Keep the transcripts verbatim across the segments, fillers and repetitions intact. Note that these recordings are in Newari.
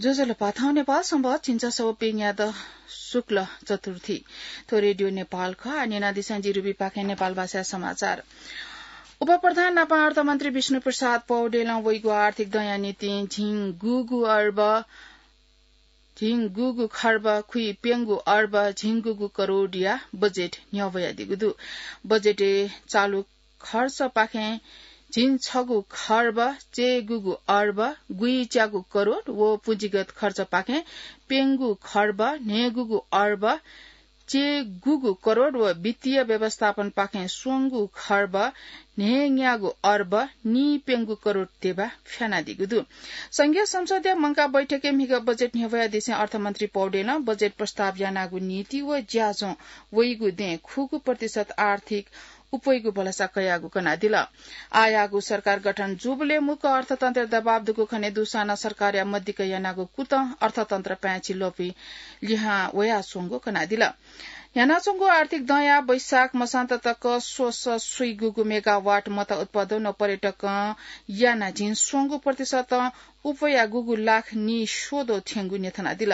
ज्वजलपा, थौं नेपाल संवत् झिंछसः व प्यंग्यादँ शुक्ल चतुर्थी। थ्व रेडियो नेपाल खः। आः न्यनादिसँ जि रुबीपाखें नेपाल भाषाया समाचार। उपप्रधान नापं अर्थमन्त्री विष्णुप्रसाद पौडेलं वइगु आर्थिक दँया निंतिं झिंगुगु अर्ब, झिंगुगु खर्ब खुइप्यंगु अर्ब झिंगुगु करोडया बजेट न्ह्यब्वयादीगु दु। बजेटय् चालू खर्चपाखें झिंछगू खर्ब चय्‌गूगु अर्ब गुइच्यागू करोड व पुँजीगत खर्चपाखें प्यंगू खर्ब न्हय्‌गूगु अर्ब चय्‌गूगु करोड व वित्तीय व्यवस्थापनपाखें स्वंगू खर्ब न्हय्‌ग्याःगु अर्ब नीप्यंगू करोड ध्यबा फ्यानादीगु दु। संघीय संसदया मंकाः बैठकय् म्हिगः बजेट न्ह्यब्वयादिसें अर्थमन्त्री पौडेलं बजेट प्रस्ताव यानागु नीति व ज्याझ्वः वइगु दँय् खुगू प्रतिशत आर्थिक उपयागु भलसा कयागु कनादिल। आःयागु सरकार गठन जूबलय् मुक्क अर्थतन्त्रय् दबाव दुगु खने दुसां नं सरकारया मदिक्क यानागु कुतः अर्थतन्त्र पाय्‌छि ल्वपुइ लिहां वयाच्वंगु कनादिल। यानाच्वंगु आर्थिक दँया वैशाख मसांत तक स्वसः स्वीगूगु मेगावाट मत उत्पादन व पर्यटकं यानाः झिंस्वंगू प्रतिशतं उपयागूगु लाख नीस्वदँ थ्यंगु न्ह्यथनादिल।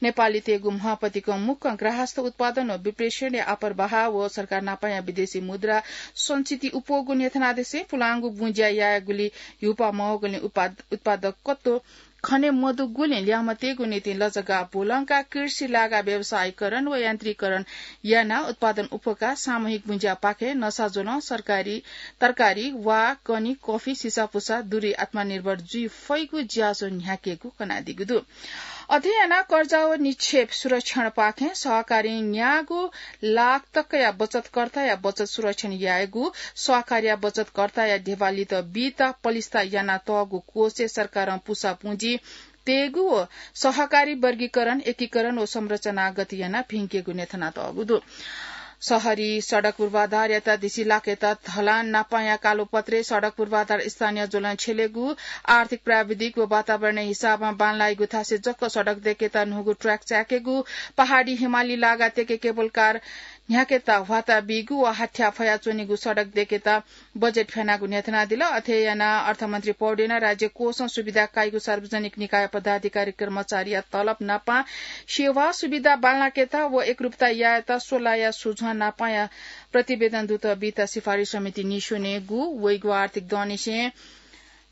नेपालीतय्‌गु म्हपतिकं मुक्कं ग्राहस्थ उत्पादन व विप्रेषणया आपर बहाः व सरकार नापंया विदेशी मुद्रा संचिति उपयागु न्ह्यथनादिसें पुलांगु बुँज्या यायेगुली ह्युपा मवःगुलिं उत्पाद-, उत्पादकत्व खने मदुगुलिं ल्याय्‌म्हतय्‌गु निंतिं लजगाः ब्वलंकाः कृषि लागा व्यवसायीकरण व यान्त्रीकरण यानाः उत्पादन उपकाः सामूहिक बुँज्यापाखें नसाज्वलं सरकारी तरकारी, वा, कनी, कफी, सिसापुसा दुरी आत्मनिर्भर जुइ फइगु ज्याझ्वः न्ह्याकेगु कनादीगु दु। अथे यानाः कर्जा व निक्षेप सुरक्षणपाखें सहकारीं न्याःगु लाख तकया बचतकर्ताया बचत सुरक्षण यायेगु, सहकारीया बचतकर्ताया ध्यबा लित बीत पलिस्था यानातःगु कोषय् सरकारं पुसा पुँजी तयेगु व सहकारी वर्गीकरण, एकीकरण व संरचनागत यानाः भिंकेगु न्ह्यथनातःगु दु। शहरी सडक पूर्वाधारयात दिसिलाकेत धलान नापंया कालोपत्रय् सडक पूर्वाधार स्थानीय ज्वलं छ्यलेगु, आर्थिक, प्राविधिक व वातावरणीय हिसाबं बांलाइगु थासय् जक सडक दय्‌केत न्हूगु ट्र्याक चाय्‌केगु, पहाडी हिमाली लागा तय्‌के केबल कार न्ह्याकेत ह्वाता बीगु व हाथ्या फयाच्वनीगु सडक दय्‌केत बजेट फ्यानागु न्ह्यथनादिल। अथे यानाः अर्थमन्त्री पौडेलं राज्य कोषं सुविधा काइगु सार्वजनिक निकाय पदाधिकारी कर्मचारीया तलब नापं सेवा सुविधा बांलाकेत व एकरूपता यायेत स्वलाया सुझ्वः नापंया प्रतिवेदन दूत बीत सिफारिस समिति नीस्वनेगु, वइगु आर्थिक दँनिसें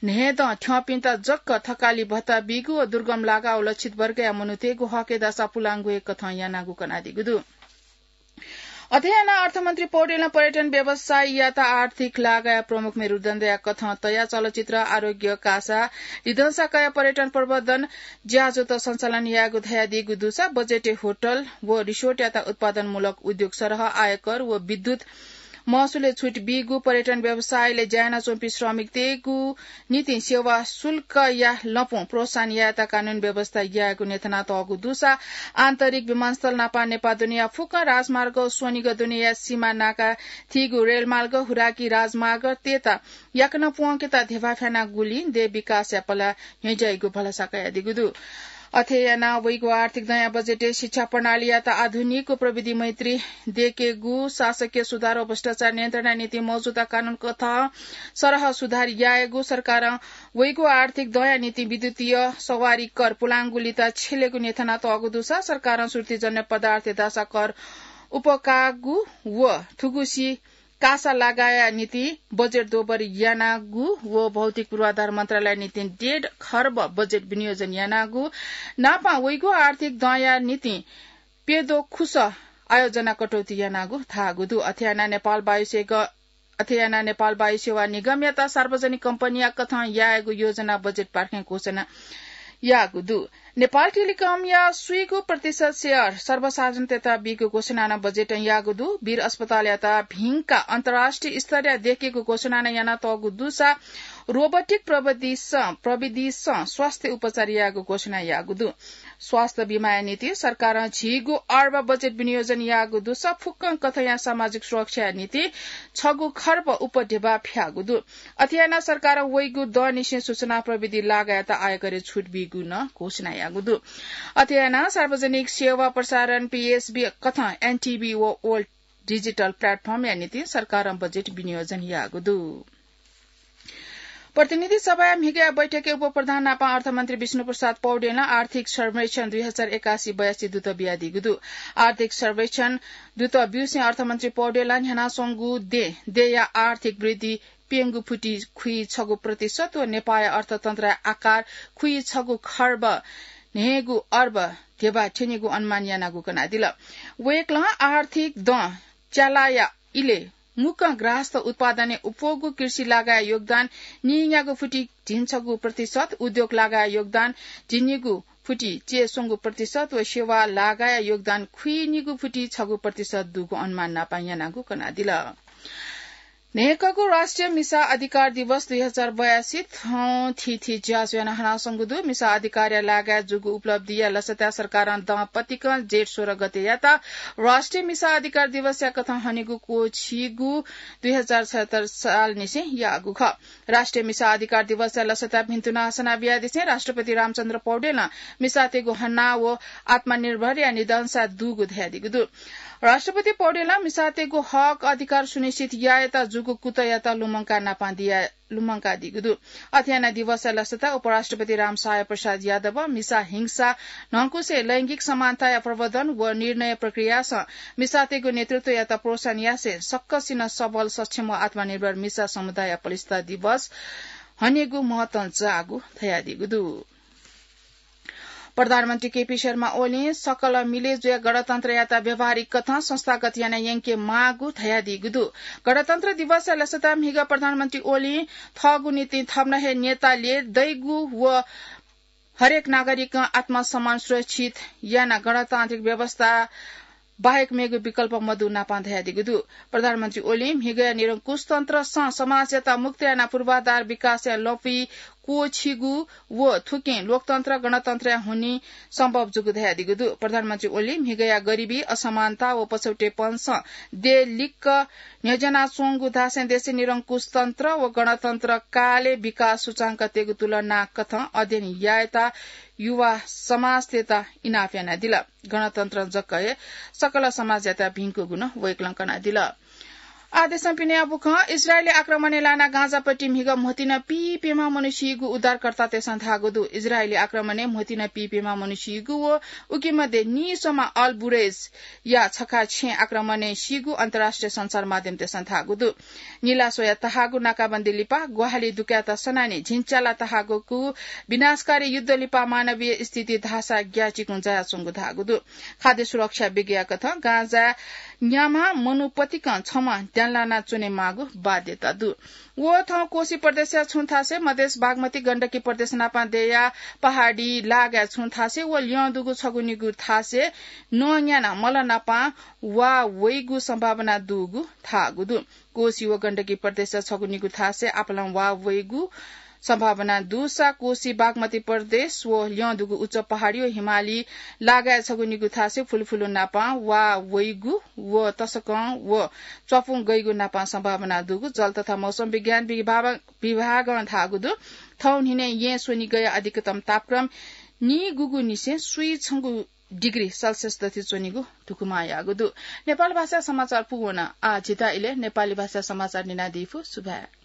न्हय्‌दँ थ्यंपिन्त जक थकालि भत्ता बीगु व दुर्गम लागा व लक्षित वर्गया मनूतय्‌गु हकय् दासा पुलांगु हे कथं यानागु कनादीगु दु। अथे यानाः अर्थमन्त्री पौडेलं पर्यटन व्यवसायीयात आर्थिक लागाया प्रमुख मेरुदण्डया कथं तयाः चलचित्र, आरोग्य, कासा, लिधंसा कयाः पर्यटन प्रवर्धन ज्याझ्वःत सञ्चालन यायेगु धयादीगु दुसा बजेटय् होटल व रिसोर्टयात उत्पादनमूलक उद्योग सरह, आयकर व विद्युत महसुलय् छुट बीगु, पर्यटन व्यवसायलय् ज्या यानाच्वंपिं श्रमिकतय्‌गु निंतिं सेवा शुल्कया लँपुं प्रोत्साहन यायेत कानून व्यवस्था यायेगु न्ह्यथनातःगु दुसा आन्तरिक विमानस्थल नापं नेपाः दुनेया फुक्क राजमार्ग, स्वनिगः दुनेया सीमा नाका थीगु रेलमार्ग, हुराकी राजमार्गतय्‌त याकनं प्वंकेत ध्यबा फ्यानागुलिं देय् विकासया पला न्ह्यज्याइगु भलसा कयादीगु दु। अथे यानाः वइगु आर्थिक दँया बजेटय् शिक्षा प्रणालीयात आधुनिक व प्रविधि मैत्री दय्‌केगु, शासकीय सुधार व भ्रष्टाचार नियन्त्रणया निंतिं मौजुदा कानून कथं सरह सुधार यायेगु, सरकारं वइगु आर्थिक दँया निंतिं विद्युतीय सवारी कर पुलांगुलित छ्यलेगु न्ह्यथनातःगु दुसा सरकारं सुर्तीजन्य पदार्थ दासा कर उपकाःगु व थुगुसी कासा लागाया निंतिं बजेट दोबर यानागु व भौतिक पूर्वाधार मन्त्रालयया निंतिं डेढ खर्ब बजेट विनियोजन यानागु नापं वइगु आर्थिक दँया निंतिं प्यद्वः खुसः आयोजना कटौती यानागु धाःगु दु। अथे यानाः नेपाल वायुसेग-, अथे यानाः नेपाल वायुसेवा निगमयात सार्वजनिक कम्पनीया कथं यायेगु योजना बजेट पाखें घोषणा याःगु दु। नेपाल टेलिकमया स्वीगू प्रतिशत सेयर सर्वसाधारणतय्‌त बीगु घोषणा नं बजेटं याःगु दु। वीर अस्पतालयात भिंकाः अन्तर्राष्ट्रिय स्तरया दय्‌केगु घोषणा नं यानातःगु दुसा रोबोटिक प्रविधिसं, प्रविधिसं स्वास्थ्य उपचार यायेगु घोषणा याःगु दु। स्वास्थ्य बिमाया निंतिं सरकारं झिगू अर्ब बजेट विनियोजन याःगु दुसा फुक्कं कथंया सामाजिक सुरक्षाया निंतिं छगू खर्ब उपध्यबा फ्याःगु दु। अथे यानाः सरकारं वइगु दँनिसें सूचना प्रविधि लागायात आयकरय् छुट बीगु नं घोषणा याःगु दु। अथे यानाः सार्वजनिक सेवा प्रसारण, पीएसबी, कथं एनटिभी व ओल्ड डिजिटल प्लेटफर्मया निंतिं सरकारं बजेट विनियोजन याःगु दु। प्रतिनिधि सभाया म्हिगया बैठकय् उपप्रधान नापं अर्थमन्त्री विष्णुप्रसाद पौडेलं आर्थिक सर्वेक्षण दुई हजार एकासी बयासी दुत बियादीगु दु। आर्थिक सर्वेक्षण दुत ब्यूसें अर्थमन्त्री पौडेलं न्ह्यानाच्वंगु दे, देया आर्थिक वृद्धि प्यंगू फुति खुइछगू प्रतिशत व नेपाःया अर्थतन्त्रया आकार खुइछगू खर्ब न्हय्गू अर्ब धेबा थ्यनीगु अनुमान यानागु कनादिल। वय्कलं आर्थिक दँ च्यालाया इलय् मुक्कं ग्राहस्थ उत्पादनय् अप्वःगु कृषि लागाया योगदान नीन्यागू फुति झिंछगू प्रतिशत, उद्योग लागाया योगदान झिंनिगू फुति च्यय्स्वंगू प्रतिशत व सेवा लागाया योगदान खुइनिगू फुति छगू प्रतिशत दुगु अनुमान नापं यानागु कनादिल। न्हय्कःगु राष्ट्रिय मिसा अधिकार दिवस दुई हजार बयासी थौं थीथी ज्याझ्वः याना हनाच्वंगु दु। मिसा अधिकारया लागाय् जूगु उपलब्धिया लसताय् सरकारं दँ पतिकं जेठ सोह्र गतेयात राष्ट्रिय मिसा अधिकार दिवसया कथं हनेगु क्वःछिगू दुई हजार छयत्तर सालनिसें याःगु खः। राष्ट्रिय मिसा अधिकार दिवसया लसताय् भिन्तुना हसना बियादिसें राष्ट्रपति रामचन्द्र पौडेलं मिसातय्गु हना व आत्मनिर्भरया निदंसा दुगु धयादीगु दु। राष्ट्रपति पौडेलं मिसातय्गु हक अधिकार सुनिश्चित यायेत जूगु कुतःयात लुमंका नापं दिया, लुमंकादीगु दु। अथे यानाः दिवसया लसताय् उपराष्ट्रपति रामसहाय प्रसाद यादवं मिसा हिंसा न्हंकुसें लैंगिक समानताया प्रवर्धन व निर्णय प्रक्रियासं मिसातय्गु नेतृत्वयात प्रोत्साहन यासें सकसिनं सबल, सक्षम व आत्मनिर्भर मिसा समुदायया पलिस्था दिवस हनेगु महत्वं जाःगु धयादीगु दु। प्रधानमन्त्री केपी शर्मा ओलीं सकल मिले जुयाः गणतन्त्रयात व्यावहारिक कथं संस्थागत याना यंके माःगु धयादीगु दु। गणतन्त्र दिवसया लसताय् म्हिगः प्रधानमन्त्री ओलीं थःगु निंतिं थम्हं हे नेताले दइगु व हरेक नागरिकं आत्मसम्मान सुरक्षित यानाः गणतान्त्रिक व्यवस्था बाहेक मेगु विकल्प मदु नापं धयादीगु दु। प्रधानमन्त्री ओलीं म्हिगःया निरंकुशतन्त्रसं समाजयात मुक्त यानाः पूर्वाधार विकासया लँपुइ क्वःछिगु व थुकिं लोकतन्त्र, गणतन्त्रया हुनिं सम्भव जूगु धयादीगु दु। प्रधानमन्त्री ओलीं म्हिगःया गरिबी, असमानता व पछौटेपनसं देय् लिक्क न्ह्यज्यानाच्वंगु धासें देशय् निरंकुशतन्त्र व गणतन्त्र कालय् विकास सूचांकतय्गु तुलना कथं अध्ययन यायेत युवा समाजतय्त इनाप यानादिल। गणतन्त्र जक हे सकल समाजयात भिंकूगु नं वय्कलं कनादिल। आः देशं पिने अबुखं। इजरायली आक्रमणय् लानाः गाजापट्टि म्हिगः म्होतिं पीप्यम्ह मनू सीगु उद्धारकर्तातय्सं धाःगु दु। इजरायली आक्रमणय् म्होतिं पीप्यम्ह मनू सीगु व उकी मध्ये नीस्वम्ह अल बुरेजया छखा छेँय् आक्रमणय् सीगु अन्तर्राष्ट्रिय सञ्चार माध्यमतय्सं धाःगु दु। निलास्वया तहाःगु नाकाबन्दी लिपा ग्वाहालि दुकायेत सनानि झिंच्याला तहाःगु विनाशकारी युद्ध लिपा मानवीय स्थिति धाःसा ग्याःचिकुं जायाच्वंगु धाःगु दु। खाद्य सुरक्षा विज्ञया कथं गाजाय् न्याम्ह मनू पतिकं छम्ह द्यानालाना च्वनेमाःगु बाध्यता दु। व थौं कोशी प्रदेशया छुं थासय्, मधेस बागमती गण्डकी प्रदेश नापं देया पहाडी लागाय् छुं थासय् व ल्यं दुगु छगू निगू थासय् नँ न्यानाः मल नापं वा वइगु सम्भावना दुगु धाःगु दु। कोशी व गण्डकी प्रदेशया छगू निगू थासय् आपालं वा वइगु सम्भावना दुसा कोशी बागमती प्रदेश व ल्यं दुगु उच्च पहाडी व हिमाली लागाय् छगू निगू थासय् फुलुफुलु नापं वा वइगु व तसकं व च्वापुं गइगु नापं सम्भावना दुगु जल तथा मौसम विज्ञान विभाग, विभागं धाःगु दु। थौं न्हिनय् येँ स्वनिगया अधिकतम तापक्रम नीगुगु निसें स्वीछंगु डिग्री सेल्सियस दथि च्वनीगु धुकुमा याःगु दु। नेपाल भाषा समाचार पूवन। आः झीत इलय् नेपाली भाषा समाचार न्यनादी फु। सुभाय्।